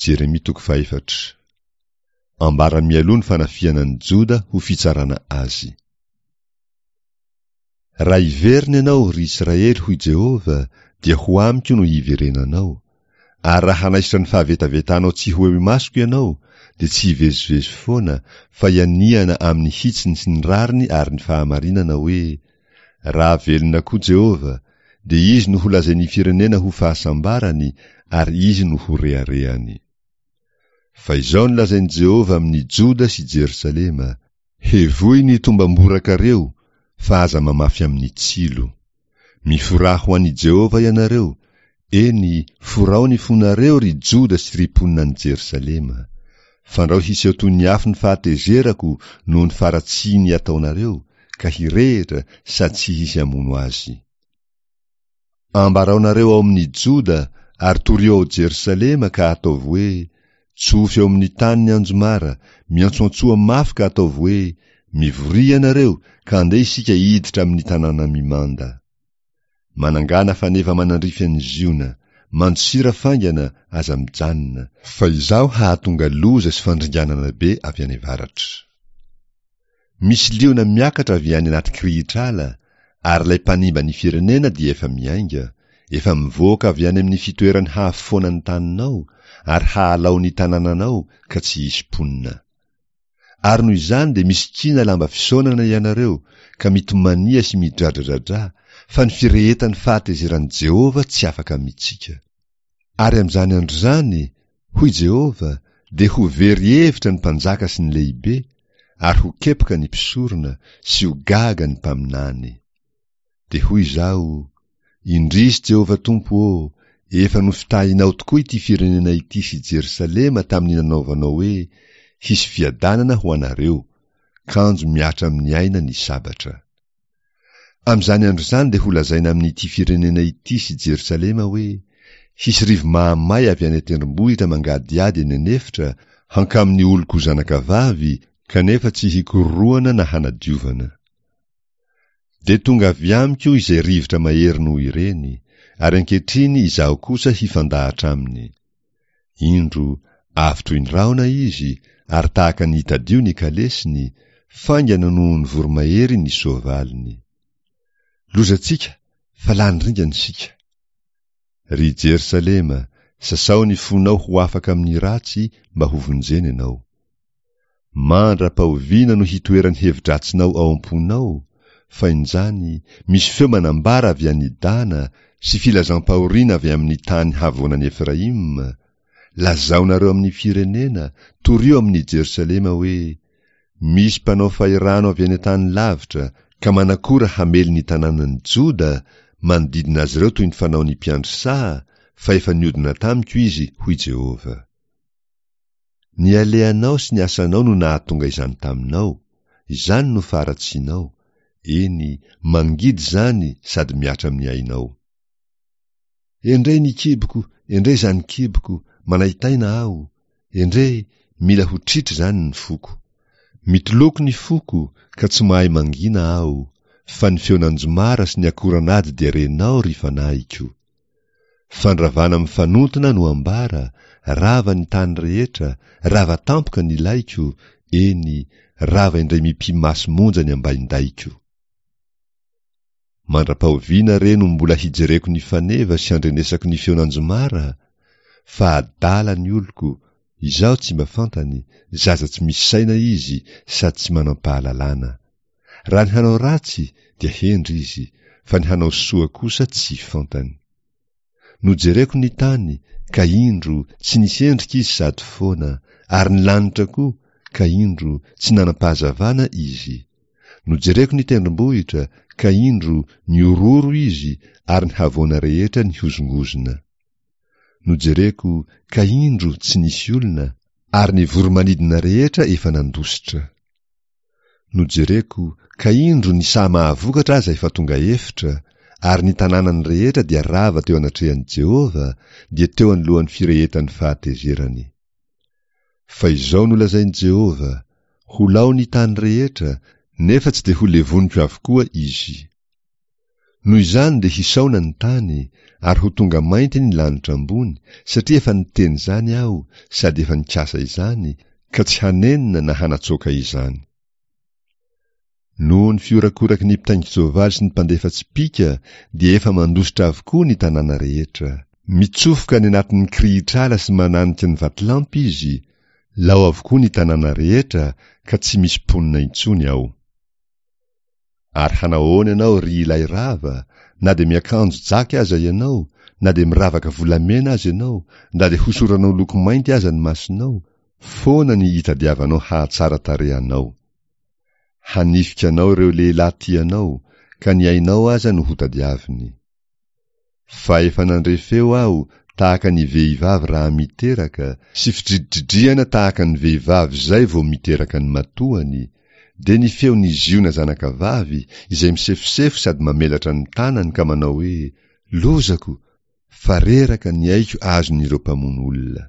Jeremia toko fahefatra. Ambara mialoha ny fanafihana an'i Joda ho fitsarana azy. Raha hiverina ianao, ry Israely, hoy Jehovah, dia ho amiko no hiverenanao. Ary raha hanaisotra ny fahavetavetanao tsy ho eo imasoko ianao, dia tsy hivezivezy foana, fa hianihana amin'ny hitsiny sy ny rariny ary ny fahamarinana hoe, Raha velona koa Jehovah, dia Izy no holazain'ny firenena ho fahasambarany ary Izy no ho reharehany. Fa izao no lazain'i Jehovah amin'i Joda sy Jerosalema, Hevoy ny tombam-borakareo, fa aza mamafy amin'ny tsilo. Miforaha ho an'i Jehovah ianareo, eny, forao ny fonareo, ry Joda sy ry mponina any Jerosalema. Fandrao hiseho toy ny afo ny fahatezerako noho ny faharatsiany ataonareo, ka hirehitra sady tsy hisy hamono azy. Ambaraonareo ao amin'ny Joda ary torio ao Jerosalema ka ataovy hoe, Tsofy eo amin'ny tany ny anjomara, miantsoantsoa mafy ka ataovy hoe, Mivoria ianareo ka andeha isika hiditra amin'ny tanàna mimanda. Manangàna faneva manandrify an'i Ziona, mandosira faingana, aza mijanona, fa izaho hahatonga loza sy fandringanana be avy any avaratra. Misy liona miakatra avy any anaty kirihitr'ala, ary ilay mpanimba ny firenena dia efa miainga, efa mivoaka avy any amin'ny fitoerany hahafoana ny taninao, ary hahalao ny tanànanao ka tsy hisy mponina. Ary noho izany dia misikina lamba fisaonana ianareo, ka mitomania sy midradradradrà, fa ny firehetan'ny fahatezeran'i Jehovah tsy afaka amintsika. Ary amin'izany andro izany, hoy Jehovah, dia ho very hevitra ny mpanjaka sy ny lehibe, ary ho kepoka ny mpisorona, sy ho gaga ny mpaminany. Dia hoy izaho, Indrisy Jehovah Tompo ô, efa nofitahinao tokoa ity firenena ity sy Jerosalema tamin'ny nanaovanao hoe, Hisy fiadanana ho anareo, kanjo mihatra amin'ny aina ny sabatra. Amin'izany andro izany dia holazaina amin'ity firenena ity sy Jerosalema hoe, Hisy rivo-mahamay avy any an-tendrombohitra mangadihady eny an'efitra hankamin'ny oloko zanakavavy, kanefa tsy hikororohana na hanadiovana. Dia tonga avy amiko izay rivotra mahery noho ireny, ary ankehitriny izaho kosa hifandahatra aminy. Indro, avy toy ny rahona izy, ary tahaka ny tadio ny kalesiny, faingana noho ny voromahery ny soavaliny. Lozantsika, fa lany ringana isika! Ry Jerosalema, sasao ny fonao ho afaka amin'ny ratsy mba hovonjena ianao. Mandra-pahoviana no hitoeran'ny hevi-dratsinao ao am-ponao? Fa injany, misy feo manambara avy any Dana sy filazam-pahoriana avy amin'ny tany havoanan'i Efraima, Lazaonareo amin'ny firenena, torio amin'i Jerosalema hoe, Misy mpanao fahirano avy any an-tany lavitra, ka manakora hamely ny tanànan'i Joda, manodidina azy ireo toy ny fanaon'ny mpiandry saha, fa efa niodina tamiko izy, hoy Jehovah. Ny alehanao sy ny asanao no nahatonga izany taminao, izany no faharatsianao, eny, mangidy izany sady mihatra amin'ny ainao. Endrey ny kiboko, endrey izany kiboko, manaintaina aho, endrey, mila ho tritra izany ny foko. Mitoloko ny foko, ka tsy mahay mangina aho, fa ny feon'anjomara sy ny akoran'ady dia renao, ry fanahiko. Fandravana mifanontona no ambara, rava ny tany rehetra, rava tampoka ny laiko, eny, rava indray mipi-maso monja ny ambaindaiko. Mandra-pahoviana re no mbola hijereko ny faneva sy handrenesako ny feon'anjomara? Fa adala ny oloko, izaho tsy mba fantany, zaza tsy misy saina izy sady tsy manam-pahalalana. Raha ny hanao ratsy dia hendry izy, fa ny hanao soa kosa tsy fantany. Nojereko ny tany, ka indro, tsy nisy endrika izy sady foana, ary ny lanitra koa, ka indro, tsy nanam-pahazavana izy. Nojereko ny tendrombohitra, ka indro, nihorohoro izy, ary ny havoana rehetra nihozongozona. Nojereko, ka indro, tsy nisy olona, ary ny voro-manidina rehetra efa nandositra. Nojereko, ka indro ny saha mahavokatra aza efa tonga efitra, ary ny tanànany rehetra dia rava teo anatrehan'i Jehovah, dia teo anoloan'ny firehetan'ny fahatezerany. Fa izao no lazain'i Jehovah, Ho lao ny tany rehetra, nefa tsy dia holevoniko avokoa izy. Noho izany dia hisaona ny tany, ary ho tonga mainty ny lanitra ambony, satria efa niteny izany Aho, sady efa nikasa izany, ka tsy hanenina na hanatsoaka izany. Noho ny fihorakoraky ny mpitaingin-tsoavaly sy ny mpandefa tsipìka dia efa mandositra avokoa ny tanàna rehetra. Mitsofoka any anatin'ny kirihitr'ala sy mananika ny vatolampy izy, lao avokoa ny tanàna rehetra ka tsy misy mponina intsony ao. Ary hanao ahoana ianao ry ilay rava, na dia miakanjo jaky aza ianao, na dia miravaka volamena aza ianao, na dia hosoranao loko mainty aza ny masonao, foana ny itadiavanao hahatsara tarehy anao. Hanifika anao ireo lehilahy tia anao, ka ny ainao aza no hotadiaviny. Fa efa nandre feo aho tahaka ny vehivavy raha miteraka, sy fidridridrihana tahaka ny vehivavy izay vao miteraka ny matoany, dia ny feon'i Ziona zanakavavy, izay misefosefo sady mamelatra ny tanany ka manao hoe, Lozako! Fa reraka ny aiko azon'ireo mpamono olona.